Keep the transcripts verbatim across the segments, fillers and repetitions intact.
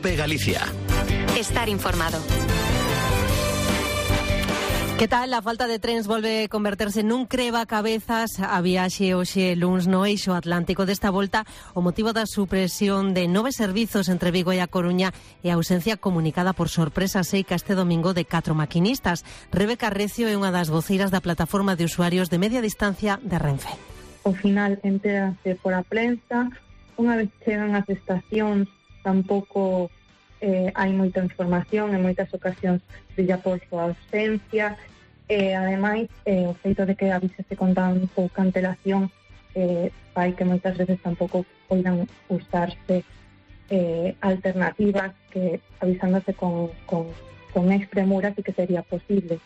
COPE Galicia. Estar informado. Que tal? La falta de trens volve a converterse nun creva-cabezas a viaxe hoxe luns no eixo atlántico. Desta volta, o motivo da supresión de nove servizos entre Vigo e a Coruña e a ausencia comunicada por sorpresa seica este domingo de catro maquinistas. Rebeca Recio é unha das voceiras da plataforma de usuarios de media distancia de Renfe. Ao final entérase por a prensa, unha vez chegan as estacións tampouco eh, hai moita información, en moitas ocasións brilla por súa ausencia, e ademais eh, o feito de que avísese con tan pouca antelación eh, fai que moitas veces tampouco poidan usarse eh, alternativas que avisándose con, con, con expremura sí que sería posible.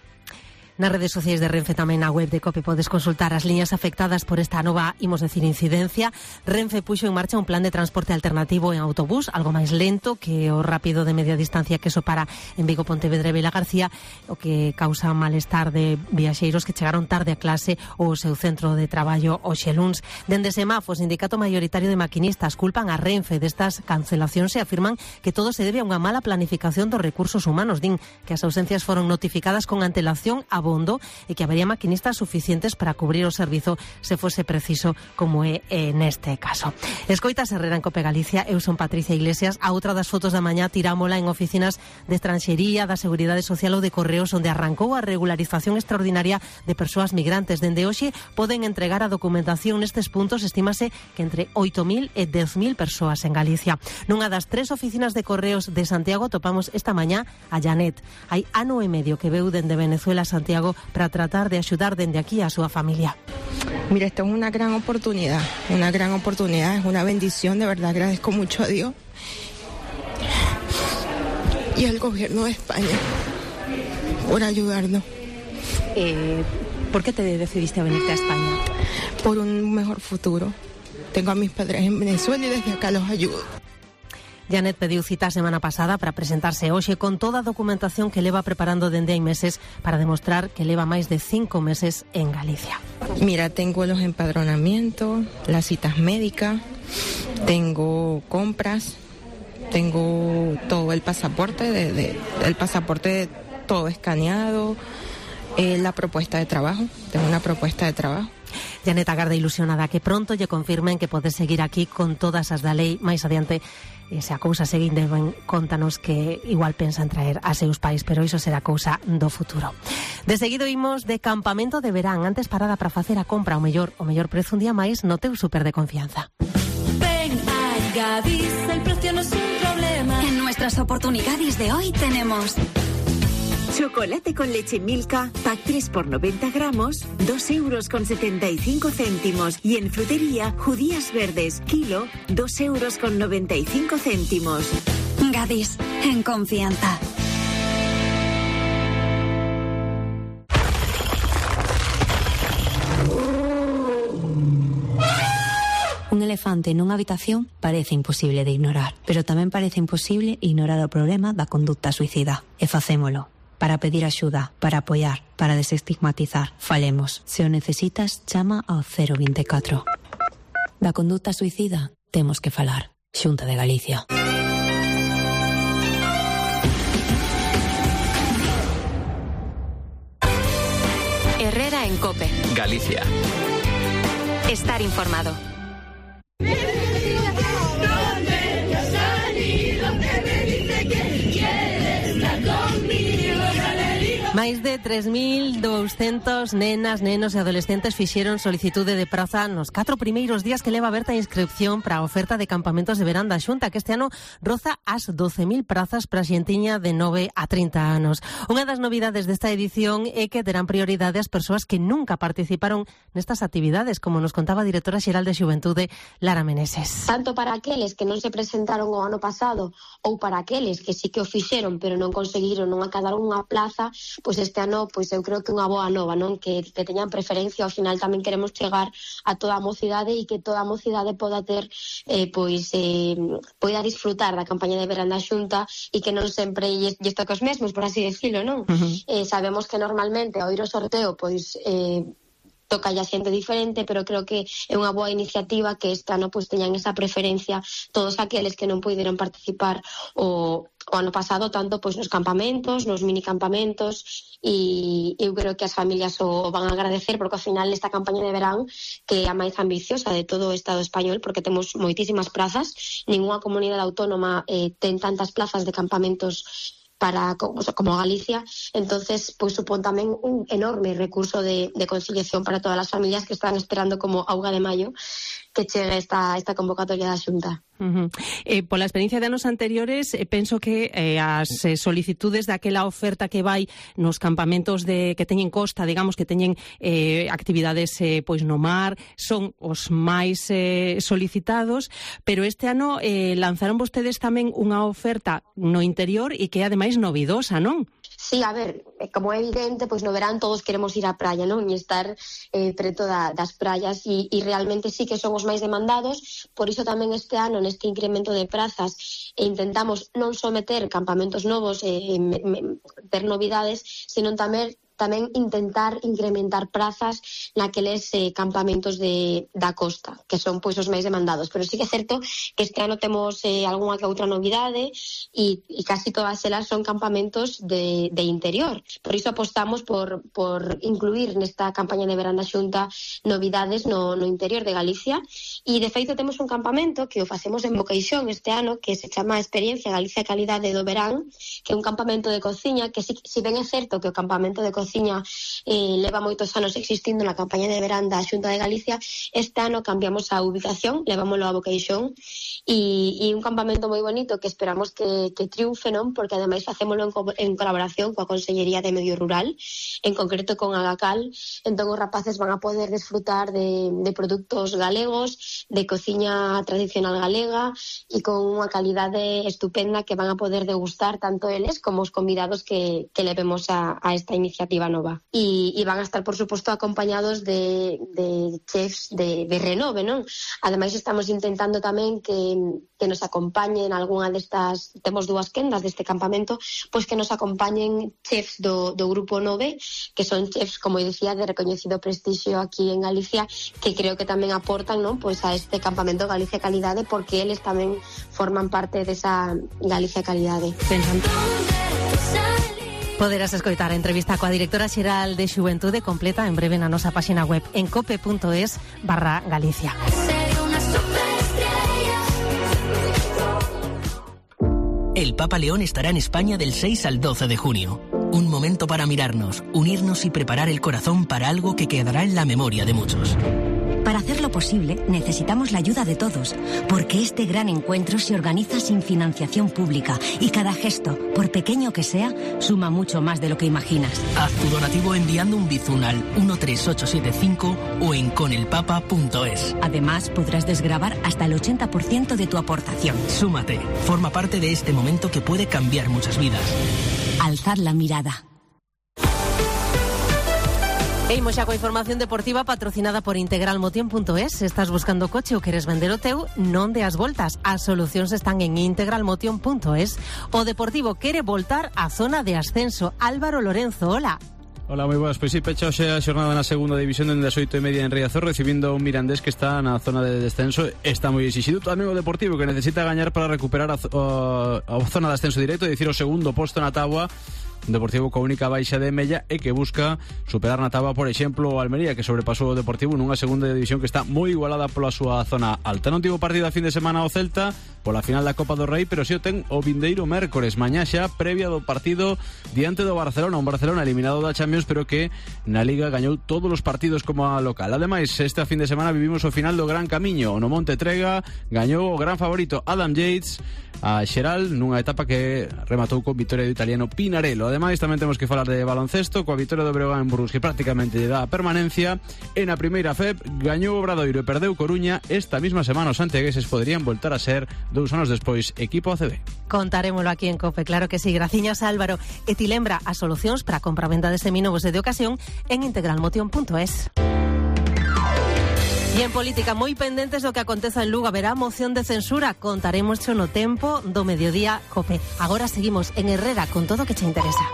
Nas redes sociais de Renfe, tamén na web de COPE, podes consultar as liñas afectadas por esta nova, imos decir, incidencia. Renfe puxo en marcha un plan de transporte alternativo en autobús, algo máis lento que o rápido de media distancia que sopara en Vigo, Pontevedra e Vila García, o que causa malestar de viaxeiros que chegaron tarde a clase ou o seu centro de traballo hoxe luns. Dende Semaf, o sindicato maioritario de maquinistas, culpan a Renfe destas cancelacións e afirman que todo se debe a unha mala planificación dos recursos humanos. Din que as ausencias foron notificadas con antelación a bondo e que habería maquinistas suficientes para cubrir o servizo se fose preciso, como é eh, neste caso. Escoitas Herrera en COPE Galicia. Eu son Patricia Iglesias. A outra das fotos da mañá tirámola en oficinas de estranxería, da Seguridade Social ou de Correos, onde arrancou a regularización extraordinaria de persoas migrantes. Dende hoxe poden entregar a documentación nestes puntos. Estímase que entre oito mil e dez mil persoas en Galicia. Nunha das tres oficinas de Correos de Santiago topamos esta mañá a Janet. Hai ano e medio que veu dende Venezuela a Santiago para tratar de ayudar desde aquí a su familia. Mira, esto es una gran oportunidad, una gran oportunidad, es una bendición, de verdad agradezco mucho a Dios y al gobierno de España por ayudarnos. Eh, ¿Por qué te decidiste a venirte a España? Por un mejor futuro. Tengo a mis padres en Venezuela y desde acá los ayudo. Janet pediu cita a semana pasada para presentarse hoxe con toda a documentación que leva preparando dende hai meses para demostrar que leva máis de cinco meses en Galicia. Mira, tengo los empadronamientos, las citas médicas, tengo compras, tengo todo el pasaporte, de, de, el pasaporte todo escaneado, eh, la propuesta de trabajo, tengo una propuesta de trabajo. Janet agarda ilusionada que pronto lle confirmen que podes seguir aquí con todas as da lei. Máis adiante, e se a cousa seguinte, ben, contanos que igual pensan traer a seus pais, pero iso será cousa do futuro. De seguido imos de campamento de verán. Antes parada para facer a compra, o mellor, o mellor prezo un día máis no teu súper de confianza. Ven a Gadis, el precio no es un problema. En nuestras oportunidades de hoy tenemos chocolate con leche Milka, pack tres por noventa gramos, dos euros con setenta y cinco céntimos. Y en frutería, judías verdes, kilo, dos euros con noventa y cinco céntimos. Gadis, en confianza. Un elefante nunha habitación parece imposible de ignorar, pero tamén parece imposible ignorar o problema da conducta suicida. E facémolo. Para pedir axuda, para apoiar, para desestigmatizar. Falemos. Se o necesitas, chama ao cero veinticuatro. Da conduta suicida temos que falar. Xunta de Galicia. Herrera en COPE Galicia. Estar informado. Máis de tres mil douscentos nenas, nenos e adolescentes fixeron solicitude de praza nos catro primeiros días que leva aberta a inscripción para a oferta de campamentos de verán da Xunta, que este ano roza as doce mil prazas para a xentiña de nove a trinta anos. Unha das novidades desta edición é que terán prioridade as persoas que nunca participaron nestas actividades, como nos contaba a directora xeral de Xuventude, Lara Meneses. Tanto para aqueles que non se presentaron o ano pasado ou para aqueles que sí que o fixeron pero non conseguiron, non acadaron unha plaza, pois este ano, pois eu creo que unha boa nova, non? Que, que teñan preferencia. Ao final tamén queremos chegar a toda a mocidade e que toda a mocidade poda ter, eh, pois, eh, poida disfrutar da campaña de verán da Xunta e que non sempre lle toca os mesmos, por así decirlo, non? Uh-huh. Eh, sabemos que normalmente ao ir ao sorteo, pois, eh, toca a xente diferente, pero creo que é unha boa iniciativa que este ano pois teñan esa preferencia todos aqueles que non puideron participar o o ano pasado, tanto pois nos campamentos, nos mini campamentos, e eu creo que as familias o van a agradecer, porque ao final esta campaña de verán que é a máis ambiciosa de todo o Estado español, porque temos moitísimas prazas, ninguna comunidade autónoma eh, ten tantas plazas de campamentos para como, como Galicia, entonces pois supón tamén un enorme recurso de, de conciliación para todas as familias que están esperando como auga de maio que chegue esta, esta convocatoria da Xunta. Uh-huh. Eh, pola experiencia de anos anteriores, eh, penso que eh, as eh, solicitudes daquela oferta que vai nos campamentos de que teñen costa, digamos, que teñen eh, actividades eh, pois no mar, son os máis eh, solicitados, pero este ano eh, lanzaron vostedes tamén unha oferta no interior e que é ademais novidosa, non? Sí, a ver, como é evidente, pois no verán todos queremos ir á praia, non? E estar eh, preto da, das praias e, e realmente sí que son os máis demandados, por iso tamén este ano neste incremento de prazas e intentamos non só meter campamentos novos e eh, ter novidades, sino tamén tamén intentar incrementar prazas naqueles eh, campamentos de, da costa, que son pois os máis demandados. Pero sí que é certo que este ano temos eh, algunha que outra novidade e, e casi todas elas son campamentos de, de interior. Por iso apostamos por, por incluir nesta campaña de verán da Xunta novidades no, no interior de Galicia e de feito temos un campamento que o facemos en Boqueixón este ano que se chama Experiencia Galicia Calidade do Verán, que é un campamento de cociña que si, si ben é certo que o campamento de cociña Cociña eh, leva moitos anos existindo na campaña de verán da Xunta de Galicia. Este ano cambiamos a ubicación, levámoslo a Boqueixón e, e un campamento moi bonito que esperamos que, que triunfe, non? Porque ademais facémoslo en, co en colaboración coa Consellería de Medio Rural, en concreto con Agacal. Entón os rapaces van a poder desfrutar de, de produtos galegos, de cociña tradicional galega e con unha calidade estupenda que van a poder degustar tanto eles como os convidados que, que levemos a, a esta iniciativa nova. E, e van a estar, por suposto, acompañados de, de chefs de, de renove, non? Ademais, estamos intentando tamén que, que nos acompañen algunha destas, temos dúas quendas deste campamento, pois que nos acompañen chefs do, do Grupo nove, que son chefs, como dicía, de recoñecido prestixio aquí en Galicia, que creo que tamén aportan, non? Pois a este campamento Galicia Calidade, porque eles tamén forman parte desa Galicia Calidade. Pensando. Poderás escoitar a entrevista coa directora xeral de Xuventude completa en breve na nosa páxina web en cope.es barra Galicia. El Papa León estará en España del seis al doce de junio. Un momento para mirarnos, unirnos y preparar el corazón para algo que quedará en la memoria de muchos. Para hacerlo posible, necesitamos la ayuda de todos, porque este gran encuentro se organiza sin financiación pública y cada gesto, por pequeño que sea, suma mucho más de lo que imaginas. Haz tu donativo enviando un bizun al uno tres ocho siete cinco o en conelpapa punto es. Además, podrás desgravar hasta el ochenta por ciento de tu aportación. Súmate, forma parte de este momento que puede cambiar muchas vidas. Alzad la mirada. E imos xa coa información deportiva patrocinada por integral motion punto es. Se estás buscando coche ou queres vender o teu, non deas voltas. As solucións están en integral motion punto es. O Deportivo quere voltar á zona de ascenso. Álvaro Lorenzo, hola. Hola, moi boas. Pois si, pecha hoxe a xornada na segunda división dende as oito e media en Riazor, recibindo un Mirandés que está na zona de descenso. Está moi exixido tamén o Deportivo, que necesita gañar para recuperar a, a, a zona de ascenso directo, é dicir, o segundo posto na táboa. Deportivo coa única baixa de Mella e que busca superar na táboa, por exemplo, o Almería, que sobrepasou o Deportivo nunha segunda división que está moi igualada pola súa zona alta. Non tivo partido a fin de semana o Celta pola final da Copa do Rei, pero si o ten o vindeiro mércores, mañá xa previa do partido diante do Barcelona, un Barcelona eliminado da Champions, pero que na Liga gañou todos os partidos como a local. Ademais, este fin de semana vivimos o final do Gran Camiño, no Monte Trega gañou o gran favorito Adam Yates a Xeral nunha etapa que rematou con vitoria do italiano Pinarello. Ademais, tamén temos que falar de baloncesto coa vitoria do Breogán en Burgos, que prácticamente lle dá a permanencia. En a primeira F E P gañou o Obradoiro e perdeu Coruña. Esta mesma semana os santiagueses poderían voltar a ser dous anos despois equipo A C B. Contarémolo aquí en COPE, claro que sí. Graciñas, Álvaro. E ti lembra as solucións para a compra-venda de seminovos e de ocasión en integral motion punto es. E en política, moi pendentes do que aconteza en Lugo, haberá moción de censura. Contaremos no tempo do mediodía COPE. Agora seguimos en Herrera con todo o que che interesa.